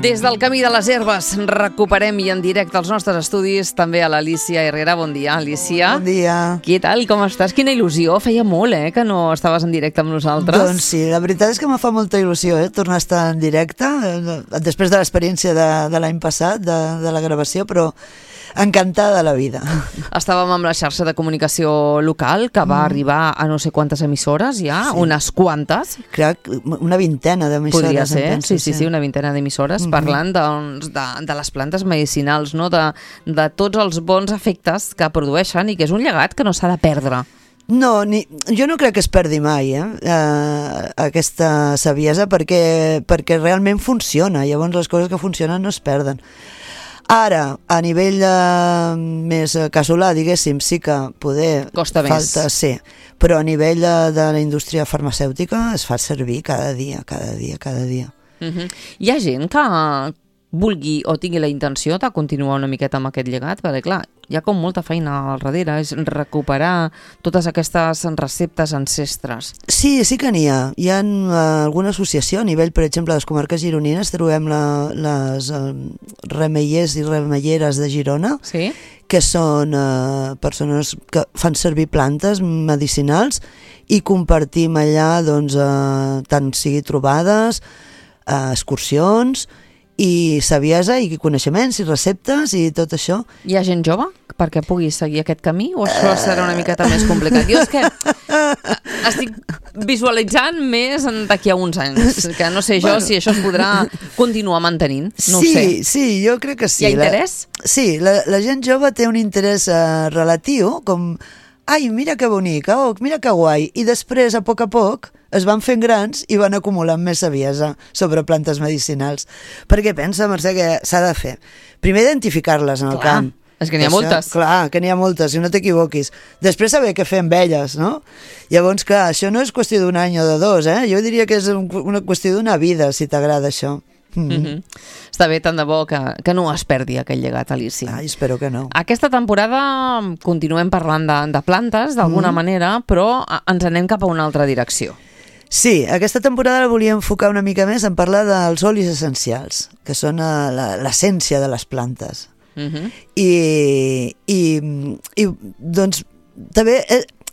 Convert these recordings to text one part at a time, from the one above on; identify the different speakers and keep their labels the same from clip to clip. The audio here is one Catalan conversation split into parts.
Speaker 1: Des del Camí de les Herbes recuperem i en directe als nostres estudis també a l'Alícia Herrera. Bon dia, Alícia.
Speaker 2: Bon dia.
Speaker 1: Què tal, com estàs? Quina il·lusió, feia molt, que no estaves en directe amb nosaltres.
Speaker 2: Doncs sí, la veritat és que me fa molta il·lusió, tornar a estar en directe, després de l'experiència de l'any passat, de la gravació, però encantada de la vida.
Speaker 1: Estàvem amb la xarxa de comunicació local, que va arribar a no sé quantes emissores ja, sí. Unes quantes.
Speaker 2: Crec una vintena d'emissores.
Speaker 1: Podria ser, sí, una vintena d'emissores, parlant de les plantes medicinals, no? de tots els bons efectes que produeixen i que és un llegat que no s'ha de perdre.
Speaker 2: No, jo no crec que es perdi mai aquesta saviesa perquè realment funciona, llavors les coses que funcionen no es perden. Ara, a nivell més casolà, diguéssim, sí que poder...
Speaker 1: Costa
Speaker 2: falta,
Speaker 1: més.
Speaker 2: Sí, però a nivell de la indústria farmacèutica es fa servir cada dia.
Speaker 1: Hi ha gent que vulgui o tingui la intenció de continuar una miqueta amb aquest llegat, perquè clar, hi ha com molta feina al darrere, és recuperar totes aquestes receptes ancestres.
Speaker 2: Sí que n'hi ha. Hi ha alguna associació a nivell, per exemple, de les comarques gironines, trobem les remeiers i remeieres de Girona,
Speaker 1: sí?
Speaker 2: Que són persones que fan servir plantes medicinals i compartim allà, doncs, tant sigui trobades, excursions i saviesa i coneixements i receptes i tot això.
Speaker 1: Hi ha gent jove perquè pugui seguir aquest camí o això serà una miqueta més complicat? Jo és que estic visualitzant més d'aquí a uns anys, que no sé jo si això es podrà continuar mantenint, no ho sé.
Speaker 2: Sí, jo crec que sí.
Speaker 1: Hi ha interès?
Speaker 2: Sí, la gent jove té un interès relatiu, com ai, mira que bonic, mira que guai, i després, a poc, es van fent grans i van acumulant més saviesa sobre plantes medicinals. Perquè pensa, Mercè, que s'ha de fer. Primer, identificar-les en el camp.
Speaker 1: És que n'hi ha moltes.
Speaker 2: Clar, que n'hi ha moltes, i no t'equivoquis. Després saber què fer amb elles, no? Llavors, clar, això no és qüestió d'un any o de dos, Jo diria que és una qüestió d'una vida, si t'agrada això.
Speaker 1: Està bé, tant de bo que no es perdi aquest llegat, Alícia.
Speaker 2: Ai, espero que no.
Speaker 1: Aquesta temporada continuem parlant de plantes d'alguna manera, però ens anem cap a una altra direcció.
Speaker 2: Sí, aquesta temporada la volia enfocar una mica més en parlar dels olis essencials, que són l'essència de les plantes. I doncs també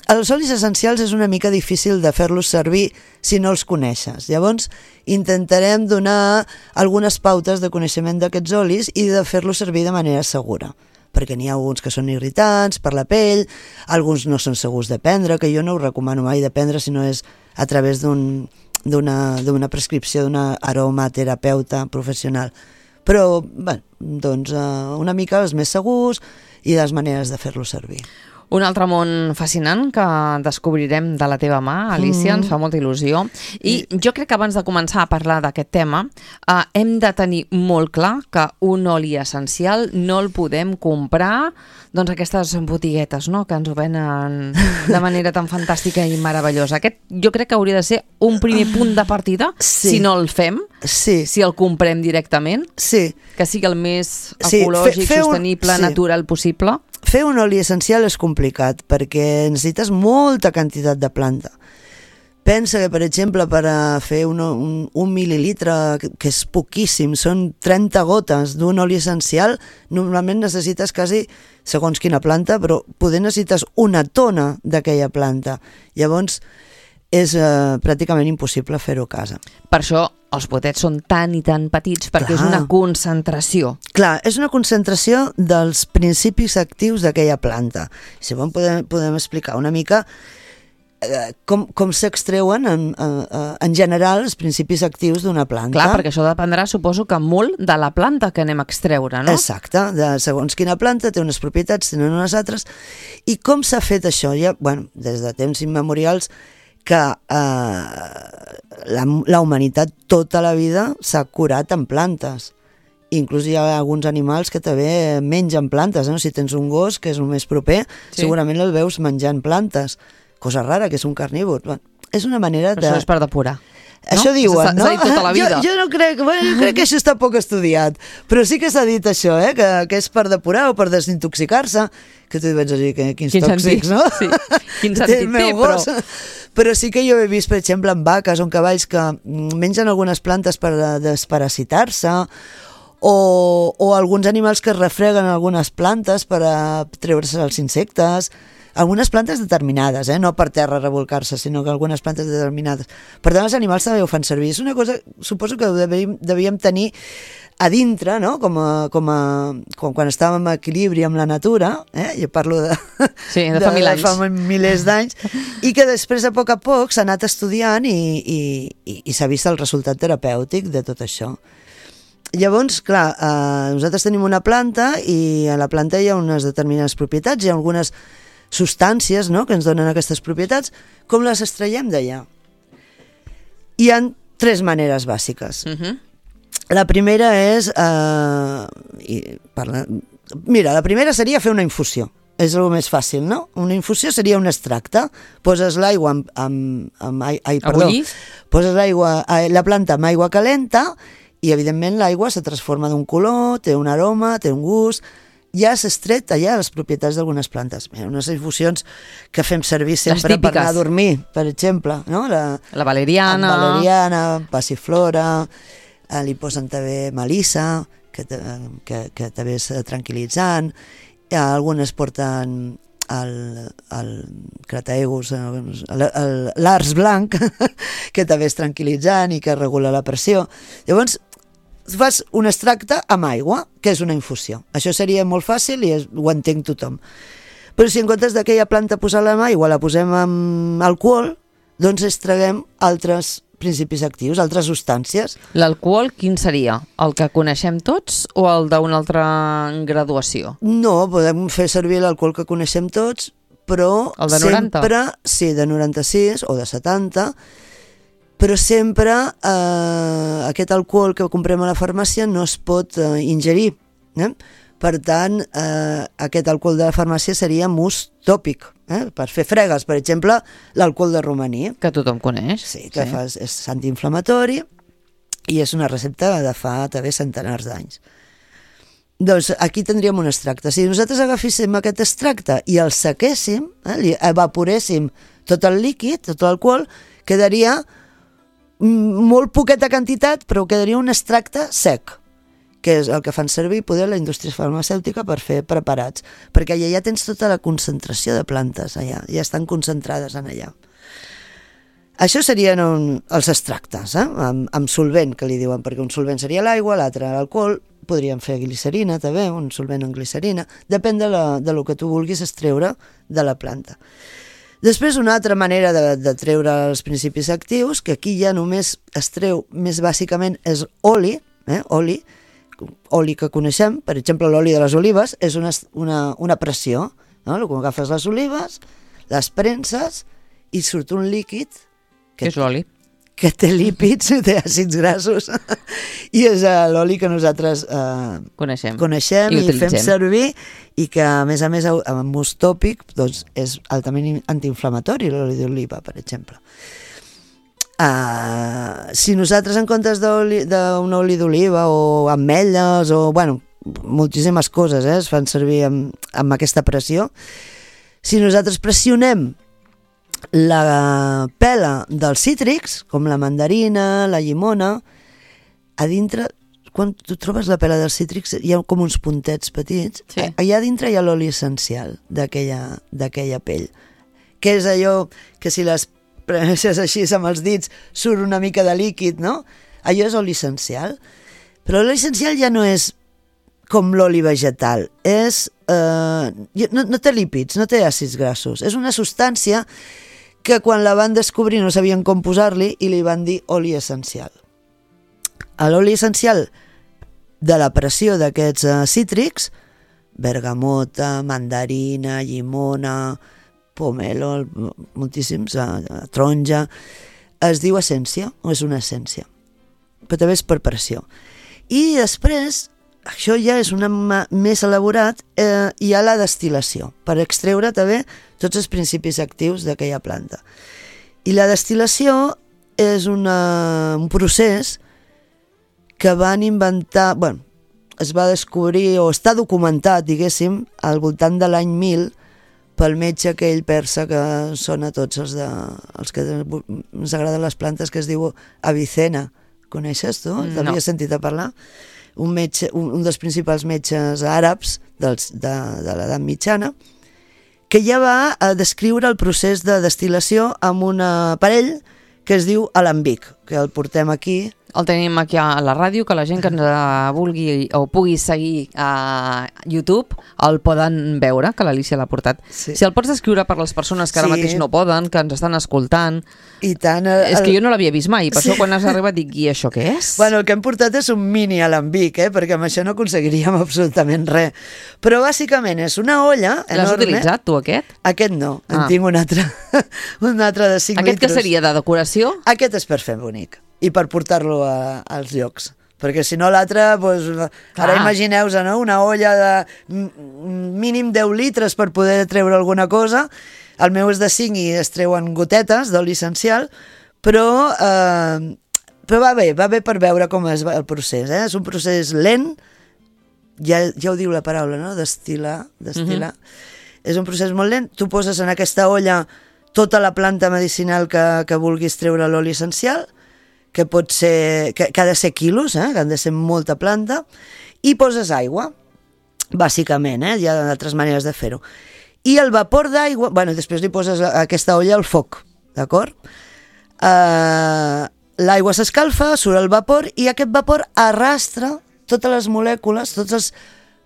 Speaker 2: els olis essencials és una mica difícil de fer-los servir si no els coneixes. Llavors intentarem donar algunes pautes de coneixement d'aquests olis i de fer-los servir de manera segura, perquè n'hi ha alguns que són irritants per la pell, alguns no són segurs de prendre, que jo no ho recomano mai de prendre si no és a través d'una prescripció d'una aromaterapeuta professional. Però, bé, doncs una mica els més segurs i les maneres de fer-los servir.
Speaker 1: Un altre món fascinant que descobrirem de la teva mà, Alícia, ens fa molta il·lusió. I jo crec que abans de començar a parlar d'aquest tema hem de tenir molt clar que un oli essencial no el podem comprar doncs aquestes botiguetes, no?, que ens ho venen de manera tan fantàstica i meravellosa. Aquest jo crec que hauria de ser un primer punt de partida, si no el fem, si el comprem directament, que sigui el més ecològic, sostenible, natural possible.
Speaker 2: Fer un oli essencial és complicat perquè necessites molta quantitat de planta. Pensa que, per exemple, per a fer un mil·lilitre, que és poquíssim, són 30 gotes d'un oli essencial, normalment necessites quasi, segons quina planta, però poder necessites una tona d'aquella planta. Llavors, és pràcticament impossible fer-ho a casa.
Speaker 1: Per això els potets són tan i tan petits, perquè és una concentració.
Speaker 2: Clar, és una concentració dels principis actius d'aquella planta. Si podem explicar una mica com s'extreuen en general els principis actius d'una planta.
Speaker 1: Clar, perquè això dependrà, suposo que molt de la planta que anem a extreure, no?
Speaker 2: Exacte, segons quina planta té unes propietats, tenen unes altres. I com s'ha fet això? Ja, des de temps immemorials que la humanitat tota la vida s'ha curat amb plantes. Inclús hi ha alguns animals que també mengen plantes, no? Si tens un gos, que és el més proper, segurament el veus menjant plantes. Cosa rara, que és un carnívor. És una manera de...
Speaker 1: Però això és per depurar.
Speaker 2: Això diuen, no?
Speaker 1: S'ha dit tota la vida.
Speaker 2: Jo no crec, jo crec que això està poc estudiat, però sí que s'ha dit això, que és per depurar o per desintoxicar-se, que tu vaig dir que quins tòxics, no?
Speaker 1: Sí. Quin sentit té,
Speaker 2: Però sí que jo he vist, per exemple, en vaques o en cavalls que mengen algunes plantes per desparasitar-se, o alguns animals que es refreguen algunes plantes per a treure-se els insectes, algunes plantes determinades, no per terra revolcar-se, sinó que algunes plantes determinades. Per tant, els animals també ho fan servir. És una cosa, suposo que ho devíem tenir a dintre, no? Com quan estàvem en equilibri amb la natura, jo parlo de
Speaker 1: fa mil anys.
Speaker 2: Fa milers d'anys, i que després a poc s'ha anat estudiant i s'ha vist el resultat terapèutic de tot això. Llavors, clar, nosaltres tenim una planta i a la planta hi ha unes determinades propietats, hi ha algunes substàncies, no?, que ens donen aquestes propietats. Com les extraiem d'allà? Hi ha 3 maneres bàsiques. La primera és... Mira, la primera seria fer una infusió. És el més fàcil, no? Una infusió seria un extracte. Poses l'aigua poses la planta amb aigua calenta i, evidentment, l'aigua se transforma d'un color, té un aroma, té un gust. Ja has extret allà les propietats d'algunes plantes. Unes infusions que fem servir sempre per anar a dormir, per exemple, no?
Speaker 1: La valeriana.
Speaker 2: La valeriana, passiflora, li posen també melissa, que també és tranquil·litzant. Algunes porten el crataegus, l'ars blanc, que també és tranquil·litzant i que regula la pressió. Llavors, fas un extracte amb aigua, que és una infusió. Això seria molt fàcil i ho entenc tothom. Però si en comptes d'aquella planta posar-la amb aigua la posem amb alcohol, doncs extraguem altres principis actius, altres substàncies.
Speaker 1: L'alcohol quin seria? El que coneixem tots o el d'una altra graduació?
Speaker 2: No, podem fer servir l'alcohol que coneixem tots, però
Speaker 1: el de 90?
Speaker 2: Sempre, sí, de 96 o de 70, però sempre aquest alcohol que comprem a la farmàcia no es pot ingerir. Per tant, aquest alcohol de la farmàcia seria mousse tòpic, per fer fregues, per exemple, l'alcohol de romaní.
Speaker 1: Que tothom coneix.
Speaker 2: Sí, que és antiinflamatori i és una recepta de fa també centenars d'anys. Doncs aquí tindríem un extracte. Si nosaltres agaféssim aquest extracte i el sequéssim, evaporéssim tot el líquid, tot l'alcohol, quedaria molt poqueta quantitat, però quedaria un extracte sec, que és el que fan servir poder la indústria farmacèutica per fer preparats, perquè allà ja tens tota la concentració de plantes, allà ja estan concentrades en allà. Això serien els extractes, amb solvent, que li diuen, perquè un solvent seria l'aigua, l'altre l'alcohol, podríem fer glicerina també, un solvent amb glicerina, depèn de lo que tu vulguis extreure de la planta. Després, una altra manera de treure els principis actius, que aquí ja només es treu més bàsicament, és oli, oli que coneixem, per exemple l'oli de les olives, és una pressió, no? Quan agafes les olives, les prenses i surt un líquid
Speaker 1: que és l'oli,
Speaker 2: que té lípids, té àcids grassos, i és l'oli que nosaltres coneixem i fem servir, i que a més amb ús tòpic doncs, és altament antiinflamatori, l'oli d'oliva, per exemple. Si nosaltres en comptes d'un oli d'oliva o ametlles o, bueno, moltíssimes coses es fan servir amb aquesta pressió, si nosaltres pressionem la pela dels cítrics, com la mandarina, la llimona, a dintre, quan tu trobes la pela dels cítrics, hi ha com uns puntets petits, sí. Allà dintre hi ha l'oli essencial d'aquella pell, que és allò que si les presses així amb els dits surt una mica de líquid, no? Allò és oli essencial. Però l'oli essencial ja no és com l'oli vegetal, no té lípids, no té àcids grassos, és una substància que quan la van descobrir no sabien com posar-li i li van dir oli essencial. L'oli essencial de la pressió d'aquests cítrics, bergamota, mandarina, llimona, pomelo, moltíssims, taronja, es diu essència, o és una essència, però també és per pressió. I després, això ja és més elaborat, hi ha la destil·lació, per extreure també tots els principis actius d'aquella planta. I la destil·lació és un procés que van inventar, es va descobrir, o està documentat, diguéssim, al voltant de l'any 1000, pel metge aquell persa que són a tots els que ens agraden les plantes, que es diu Avicena. Coneixes tu?
Speaker 1: No.
Speaker 2: T'havies sentit a parlar? Un dels principals metges àrabs de l'edat mitjana, que ja va a descriure el procés de destil·lació amb un aparell que es diu alambic, que el portem aquí.
Speaker 1: El tenim aquí a la ràdio, que la gent que ens vulgui o pugui seguir a YouTube el poden veure, que l'Alícia l'ha portat.
Speaker 2: Sí.
Speaker 1: Si el pots descriure per les persones que ara mateix no poden, que ens estan escoltant...
Speaker 2: I tant,
Speaker 1: és que jo no l'havia vist mai, per això quan has arribat dic, i això què és?
Speaker 2: Bueno, el que hem portat és un mini alambic, perquè amb això no aconseguiríem absolutament res. Però bàsicament és una olla enorme.
Speaker 1: L'has utilitzat, tu, aquest?
Speaker 2: Aquest no, en tinc un altre, un altre de 5
Speaker 1: Aquest
Speaker 2: litres.
Speaker 1: que seria de decoració?
Speaker 2: Aquest és per fer bonic i per portar-lo als llocs. Perquè si no l'altre, doncs, ara imagineu-vos, no? Una olla de mínim 10 litres per poder treure alguna cosa. El meu és de 5 i es treuen gotetes d'oli essencial, però va bé per veure com és el procés. És un procés lent, ja ho diu la paraula, no? Destil·lar. És un procés molt lent. Tu poses en aquesta olla tota la planta medicinal que vulguis treure l'oli essencial, que pot ser, que ha de ser quilos, que han de ser molta planta, i poses aigua, bàsicament, hi ha altres maneres de fer-ho. I el vapor d'aigua, bueno, després li poses aquesta olla al foc, d'acord? L'aigua s'escalfa, surt el vapor, i aquest vapor arrastra totes les molècules, tots els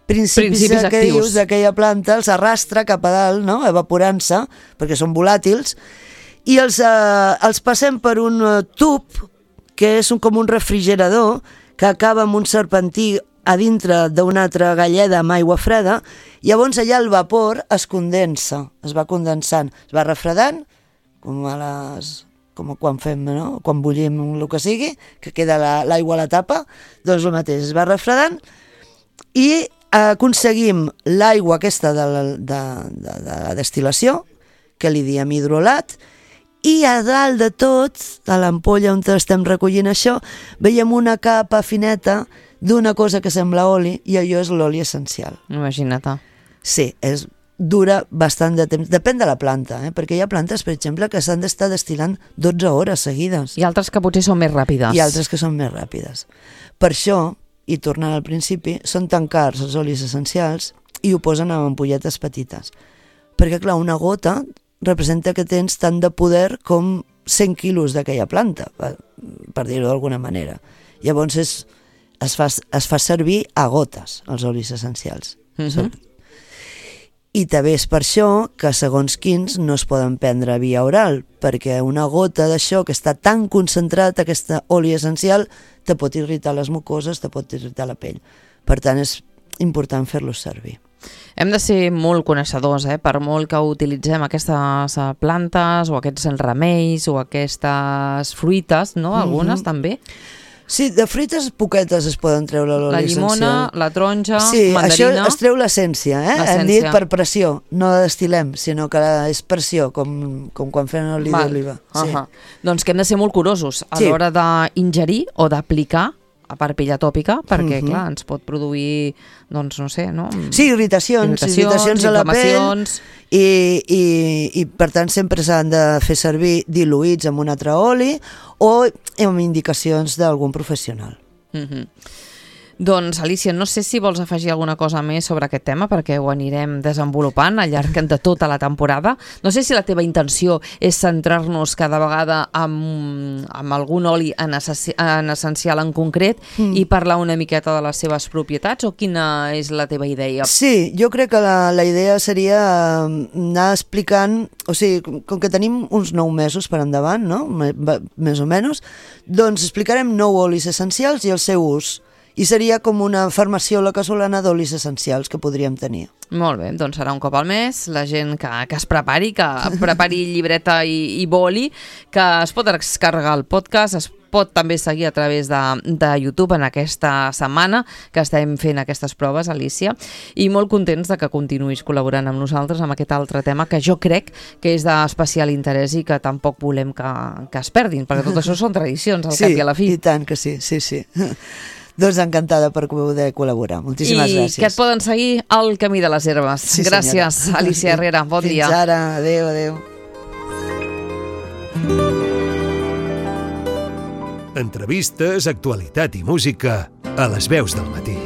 Speaker 2: principis que dius d'aquella planta, els arrastra cap a dalt, no? Evaporant-se, perquè són volàtils, i els passem per un tub que és com un refrigerador que acaba amb un serpentí a dintre d'una altra galleda amb aigua freda, i llavors allà el vapor es condensa, es va condensant, es va refredant, com quan fem, no? Quan bullim el que sigui, que queda l'aigua a la tapa, doncs el mateix, es va refredant, i aconseguim l'aigua aquesta de la destil·lació, que li diem hidrolat, i a dalt de tot, a l'ampolla on estem recollint això, veiem una capa fineta d'una cosa que sembla oli, i allò és l'oli essencial.
Speaker 1: Imagina't.
Speaker 2: Sí, dura bastant de temps. Depèn de la planta, perquè hi ha plantes, per exemple, que s'han d'estar destil·lant 12 hores seguides.
Speaker 1: I altres que potser són més ràpides.
Speaker 2: I altres que són més ràpides. Per això, i tornant al principi, són tan cars els olis essencials i ho posen en ampolletes petites. Perquè, clar, una gota representa que tens tant de poder com 100 quilos d'aquella planta, per dir-ho d'alguna manera. Llavors es fa servir a gotes, els olis essencials. I també és per això que segons quins no es poden prendre via oral, perquè una gota d'això que està tan concentrat, aquesta oli essencial, te pot irritar les mucoses, te pot irritar la pell. Per tant, és important fer-los servir.
Speaker 1: Hem de ser molt coneixedors, per molt que utilitzem aquestes plantes o aquests remeis o aquestes fruites, no? Algunes també.
Speaker 2: Sí, de fruites poquetes es poden treure l'oli essencial.
Speaker 1: La llimona, la taronja, mandarina...
Speaker 2: Sí, això es treu l'essència, Hem dit per pressió, no destil·lem, sinó que és pressió, com quan fem oli d'oliva.
Speaker 1: Doncs que hem de ser molt curosos a l'hora d'ingerir o d'aplicar a part pilla tòpica, perquè, clar, ens pot produir, doncs, no sé, no?
Speaker 2: Sí, irritacions a la pell, i per tant sempre s'han de fer servir diluïts amb un altre oli o amb indicacions d'algun professional.
Speaker 1: Doncs, Alícia, no sé si vols afegir alguna cosa més sobre aquest tema, perquè ho anirem desenvolupant al llarg de tota la temporada. No sé si la teva intenció és centrar-nos cada vegada amb algun oli en essencial en concret i parlar una miqueta de les seves propietats, o quina és la teva idea?
Speaker 2: Sí, jo crec que la idea seria anar explicant, o sigui, com que tenim uns 9 mesos per endavant, no? Més o menys, doncs explicarem 9 olis essencials i el seu ús. I seria com una farmaciola casolana d'olis essencials que podríem tenir.
Speaker 1: Molt bé, doncs serà un cop al mes, la gent que es prepari, llibreta i boli, que es pot descarregar el podcast, es pot també seguir a través de YouTube en aquesta setmana que estem fent aquestes proves, Alícia, i molt contents de que continuïs col·laborant amb nosaltres amb aquest altre tema que jo crec que és d'especial interès i que tampoc volem que es perdin, perquè tot això són tradicions al cap i a la fi.
Speaker 2: I tant que sí. Doncs encantada per poder col·laborar. Moltíssimes gràcies.
Speaker 1: I que et poden seguir al Camí de les Herbes.
Speaker 2: Sí,
Speaker 1: gràcies,
Speaker 2: senyora.
Speaker 1: Alícia Herrera. Bon dia.
Speaker 2: Fins ara. Adéu, adéu.
Speaker 3: Entrevistes, actualitat i música a les veus del matí.